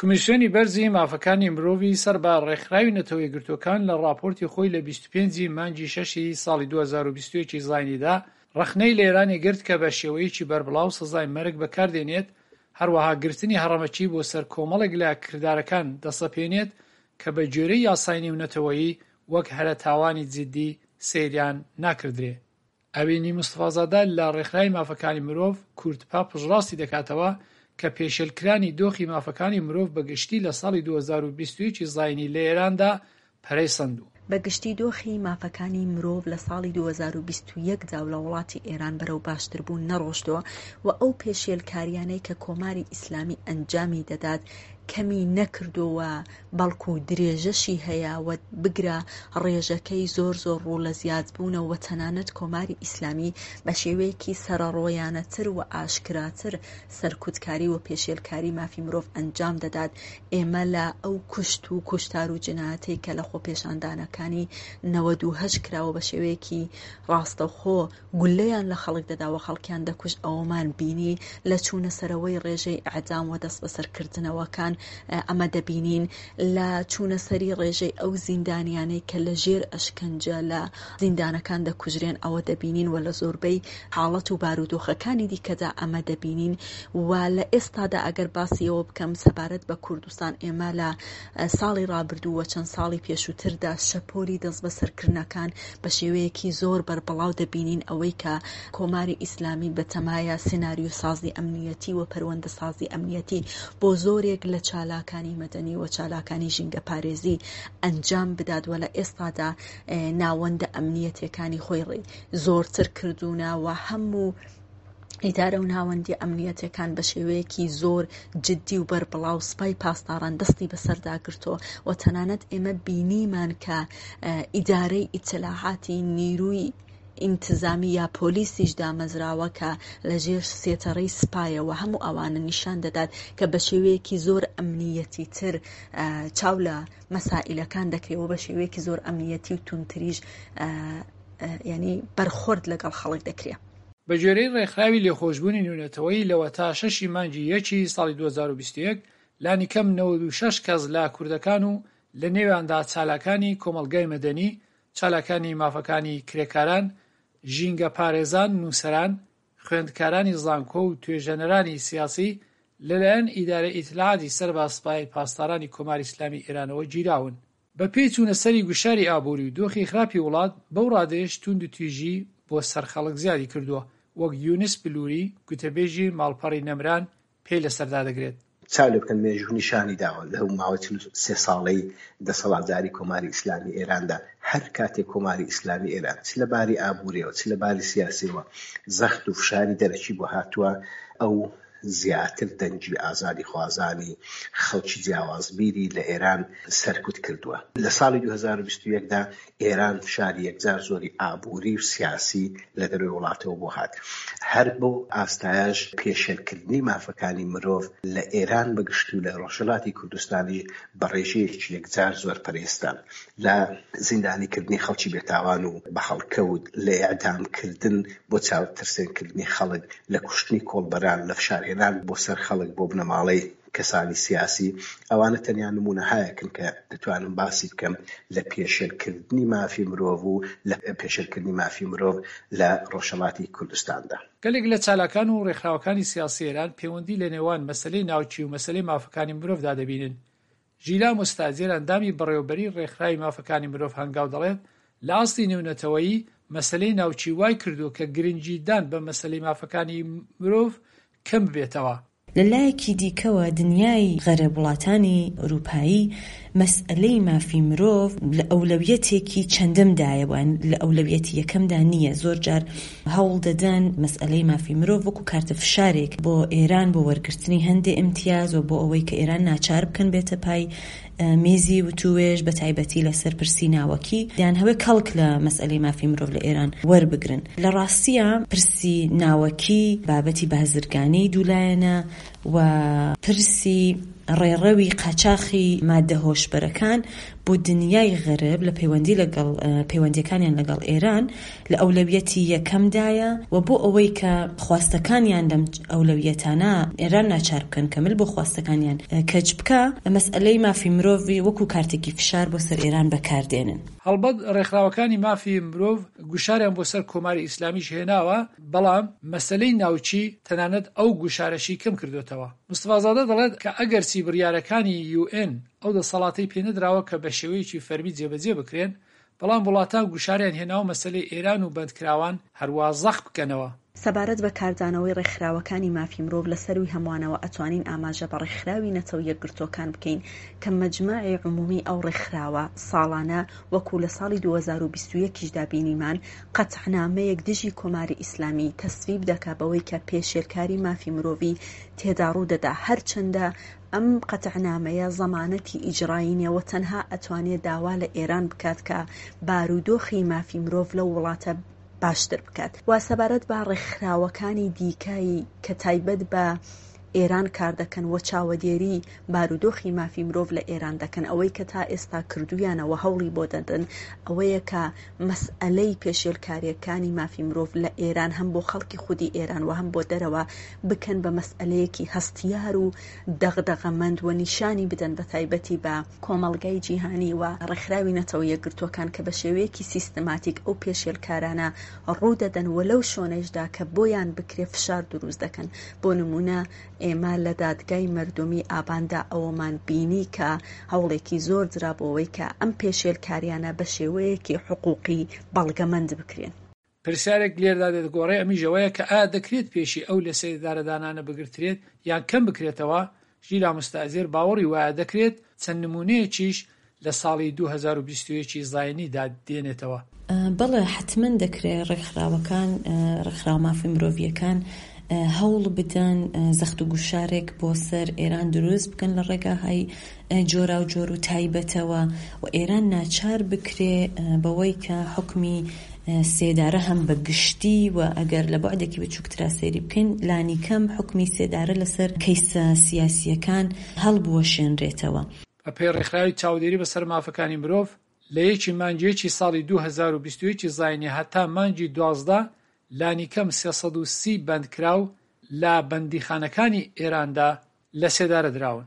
کمیسیۆنی بەرزی مافەکانی مرۆڤی سەر بە ڕێکخراوی نەتەوە یەکگرتووەکان لە ڕاپۆرتی خۆی لە 25 ی مانگی شەشی ساڵی 2021 ی زاینیدا ڕەخنەی لە ئێرانی گرت کە بە شێوەیەکی بەربڵاو سزای مەرگ بەکاردێنێت، هەروەها گرتنی هەڕەمەکی بۆ سەر کۆمەڵێک لە کردارەکان دەسەپێنێت کە بە گوێرەی یاسای نێونەتەوەیی وەک هەرە تاوانی جیددی سەیریان ناکردرێ. ئەوینی مستەفازادە لە ڕێکخراوی مافەکانی مرۆڤ، کوردپا پشتڕاستی دەکاتەوە کە پێشێلکرانی دۆخی مافەکانی مرۆڤ بە گشتی لە ساڵی 2021 ی زاینی لە ئێراندا پەرەی سەندوو. بە گشتی دۆخی مافەکانی مرۆڤ لە ساڵی 2021 دا و لە وڵاتی ئێران بەرەو باشتربوون نەڕۆشتووە و ئەو پێشێلکارییانەی کە کۆماری ئیسلامی ئەنجامی دەدات کەمی نەکردووە بەڵکو درێژەشی هەیە و بگرە ڕێژەکەی زۆر زۆر ڕوو لە زیادبوونە و تەنانەت کۆماری ئیسلامی بە شێوەیەکی سەرەڕۆیانەتر و ئاشکراتر سەرکوتکاری و پێشێلکاری مافی مرۆڤ ئەنجام دەدات. ئێمە لە ئەو کوشت و کوشتار و جنایەتەی کە لە خۆپێشاندانەکانی 98 کراوە بە شێوەیەکی ڕاستەوخۆ گوللەیان لە خەڵک دەدا و خەڵکیان دەکوشت ئەوەمان بینی، لە چوونە سەرەوەی ڕێژەی ئیعدام و دەستبەسەرکردنەوەکان ئەمە دەبینین، لە چوونە سەری ڕێژەی ئەو زیندانیانەی کە لە ژێر ئەشکەنجە لە زیندانەکان دەکوژرێن ئەوە دەبینین و لە زۆربەی حاڵەت و بارودۆخەکانی دیکەدا ئەمە دەبینین و لە ئێستادا ئەگەر باسی ئەوە بکەم سەبارەت بە کوردستان ئێمە لە ساڵی ڕابردوو و چەند ساڵی پێشووتردا شەپۆلی دەستبەسەرکردنەکان بە شێوەیەکی زۆر بەربڵاو دەبینین ئەوەی کە کۆماری ئیسلامی بەتەمایە سناریۆسازی ئەمنیەتی و پەروەندەسازی ئەمنیەتی بۆ زۆرێک لە چالاکانی مەدەنی و چالاکانی ژینگەپارێزی ئەنجام بدات و لە ئێستادا ناوەندە ئەمنیەتیەکانی خۆی زۆرتر کردوونە و هەموو ئیدارە و ناوەندی ئەمنیەتەکان بە شێوەیەکی زۆر جددی و بەربڵاو سپای پاسداران دەستی بەسەردا گرتووە و تەنانەت ئێمە بینیمان کە ئیدارەی ئیتلاعاتی نیروی ئینتزامی یا پۆلیسیش دامەزراوە کە لە ژێر سێتەڕەی سپایە و هەموو ئەوانە نیشان دەدات کە بە شێوەیەکی زۆر ئەمنیەتی تر چاو لە مەسائیلەکان دەکرێ و بە شێوەیەکی زۆر ئەمنیەتی و توندتریش یعنی بەرخۆرد لەگەڵ خەڵک دەکرێ. بە گوێرەی ڕێکخراوی لێخۆشبوونی نێونەتەوەیی لەوەتا شەش ی مانگی یەکی ساڵی 2021 لانیکەم 96 کەس لە کوردەکان و لە نێویاندا چالاکانی کۆمەڵگای مەدەنی، چالاکانی مافەکانی کرێکاران، ژینگەپارێزان، نووسەران، خوێندکارانی زانکۆ و توێژەنەرانی سیاسی لەلایەن ئیدارەی ئیتلاعاتی سەر بە سپای پاسدارانی کۆماری ئیسلامیی ئێرانەوە گیراون. بە پێی چوونە سەری گوشاری ئابووری و دۆخی خراپی وڵات، بەو ڕادەیەش تووندوتیژی بۆ سەر خەڵک زیادی کردووە، وەک یونس بلووری، گوتەبێژی ماڵپەڕی نەمران پێی لەسەر دادەگرێت. چاو لێ بکەن مێژوو نیشانی داوە لەو ماوەی 43 ساڵەی دەسەڵاتداری کۆماری ئیسلامی ئێراندا هەر کاتێک کۆماری ئیسلامی ئێران چ لە باری ئابووریەوە چ لە باری سیاسیەوە زەخت و فشاری دەرەکی بۆ هاتووە ئەو زیاتر دەنگی ئازادیخوازانی خەڵکی جیاوازبیری لە ئێران سەرکوت کردووە. لە ساڵی 2021 دا ئێران فشاری یەکجار زۆری ئابووری و سیاسی لە دەرەوەی وڵاتەوە بۆ هات. هەر بەو ئاستایەش پێشێلکردنی مافەکانی مرۆڤ لە ئێران بە گشتی و لە ڕۆژهەڵاتی کوردستانیش بە ڕێژەیەکی یەکجار زۆر پەرەی ستاند. لە زیندانیکردنی خەڵکی بێتاوان و بە هەڵکەوت، لە ئێعدامکردن بۆ چاوترسێنکردنی خەڵک، لە کوشتنی کۆڵبەران، لە فشارهێنان بۆ سەر خەڵک بۆ بنەماڵەی کەسانی سیاسی، ئەوانە تەنیا نموونەهایەکن کە دەتوانم باسی بکەم لە پێشێلکردنی مافی مرۆڤ و لە پێشێلکردنی مافی مرۆڤ لە ڕۆژهەڵاتی کوردستاندا. گەلێک لە چالاکان و ڕێکخراوەکانی سیاسی ئێران پێوەندی لە نێوان مەسەلەی ناوکی و مەسەلەی مافەکانی مرۆڤدا دەبینن. ژیلا موستاجر ئەندامی بەڕێوەبەریی ڕێکخراوی مافەکانی مرۆڤ هەنگاو دەڵێت، لە ئاستی نێونەتەوەیی مەسەلەی ناوکی وای کردووە کە گرنگیدان بە مەسەلەی مافەکانی مرۆڤ کەم ببێتەوە. لە لایەکی دیکەوە دنیای غەرب، وڵاتانی ئورووپایی مەسئەلەی مافی مرۆڤ لە ئەولەویەتێکی چەندەم دایە و لە ئەولەویەتی یەکەمدا نییە. زۆر جار هەوڵ دەدەن مەسئەلەی مافی مرۆڤ وەکوو کارتە فشارێک بۆ ئێران بۆ وەرگرتنی هەندێ ئیمتیاز و بۆ ئەوەی کە ئێران ناچار بکەن بێتە پای مێزی وتووێژ بە تایبەتی لە سەر پرسی ناوەکی دەیانهەوێ کەڵک لە مەسئەلەی مافی مرۆڤ لە ئێران وەربگرن. لە ڕاستیا پرسی ناوەکی، بابەتی بازرگانیی دوولایەنە و پرسی. ڕێڕەوی قاچاخی ماددە هۆشبەرەکان بۆ دنیای غەرب لە پەیوەندی لەگەڵ پەیوەندیەکانیان لەگەڵ ئێران لە ئەولەویەتی یەکەمدایە و بۆ ئەوەی کە خواستەکانیان لەم ئەولەویەتانە ئێران ناچار بکەن کە مل بۆ خواستەکانیان کەچ بکا، مەسئەلەی مافی مرۆڤ وەکوو کارتێکی فشار بۆ سەر ئێران بەکار دێنن. هەڵبەت ڕێکخراوەکانی مافی مرۆڤ گوشاریان بۆ سەر کۆماری ئیسلامیش هێناوە، بەڵام مەسەلەی ناوکی تەنانەت ئەو گوشارەشی کەم کردۆتەوە. مستەفازادە دەڵێت کە ئەگەرچی بڕیارەکانی یوئێن ئەو دەسەڵاتەی پێنەدراوە کە بە شێوەیەکی فەرمی جێبەجێ بکرێن، بەڵام وڵاتان گوشاریان هێناوە مەسەلەی ئێران و بەندکراوان هەروا زەق بکەنەوە. سەبارەت بە کاردانەوەی ڕێکخراوەکانی مافی مرۆڤ لە سەرووی هەمووانەوە ئەتوانین ئاماژە بە ڕێکخراوی نەتەوە یەکگرتووەکان بکەین کە مەجمەعی عمومی ئەو ڕێکخراوە ساڵانە وەکوو لە ساڵی 2021 یشدا بینیمان قەتعنامەیەک دژی کۆماری ئیسلامی تەسویب دەکا بەوەی کە پێشێلکاری مافی مرۆڤی تێدا ڕوو دەدا هەرچەندە ئەم قەتعنامەیە زەمانەتی ئیجرایی نیە و تەنها ئەتوانێ داوا لە ئێران بکات کە بارودۆخی مافی مرۆڤ لەو وڵاتە باشتر بکات و سەبارەت بە ڕێکخراوەکانی دیکەی کە تایبەت بە ئێران کار دەکەن و چاوەدێری بارودۆخی مافی مرۆڤ لە ئێران دەکەن ئەوەی کە تا ئێستا کردویانە و هەوڵی بۆ دەدەن ئەوەیە کە مەسئەلەی پێشێلکارییەکانی مافی مرۆڤ لە ئێران هەم بۆ خەڵکی خودی ئێران و هەم بۆ دەرەوە بکەن بە مەسئەلەیەکی هەستیار و دەغدەغەمەند و نیشانی بدەن بە تایبەتی بە کۆمەڵگای جیهانی و ڕێکخراوی نەتەوە یەکگرتووەکان کە بە شێوەیەکی سیستماتیک ئەو پێشێلکارانە ڕوو دەدەن و لەو شۆنەیشدا کە بۆیان بکرێ فشار دروست دەکەن بۆ نموونە ئێمە لە دادگای مەردومی ئاباندا ئەوەمان بینی کە هەوڵێکی زۆر درا بۆ ئەوەی کە ئەم پێشێلکاریانە بە شێوەیەکی حقوقی بەڵگەمەند بکرێن. پرسیارێک لێردا دێتە گۆڕێ ئەمیش ئەوەیە کە ئایا دەکرێت پێشی ئەو لەسێدارەدانانە بگرترێت یان کەم بکرێتەوە، ژیلا موستەئزێر باوەڕی وایە دەکرێت، چەند نموونەیەکیش لە ساڵی 2021 ی زاینیدا دێنێتەوە. بەڵێ حەتمەن دەکرێ ڕێکخراوەکان، ڕێکخراوە مافی مرۆڤییەکان هەوڵ بدەن زەخت و گوشارێک بۆ سەر ئێران دروست بکەن لە ڕێگاهای جۆراوجۆر و تایبەتەوە و ئێران ناچار بکرێ بەوەی کە حوکمی سێدارە هەم بە گشتی و ئەگەر لە بوعدێکی بچووکترا سەیری بکەین لانیکەم حوکمی سێدارە لەسەر کەیسە سیاسییەکان هەڵبوەشێنرێتەوە. بە پێی ڕێکخراوی چاودێری بەسەر مافەکانی مرۆڤ، لە یەکی مانگی یەکی ساڵی 2021 زاینی هەتا مانگی 12 لانیکەم 330 بەندکراو لە بەندیخانەکانی ئێراندا لەسێدارە دراون.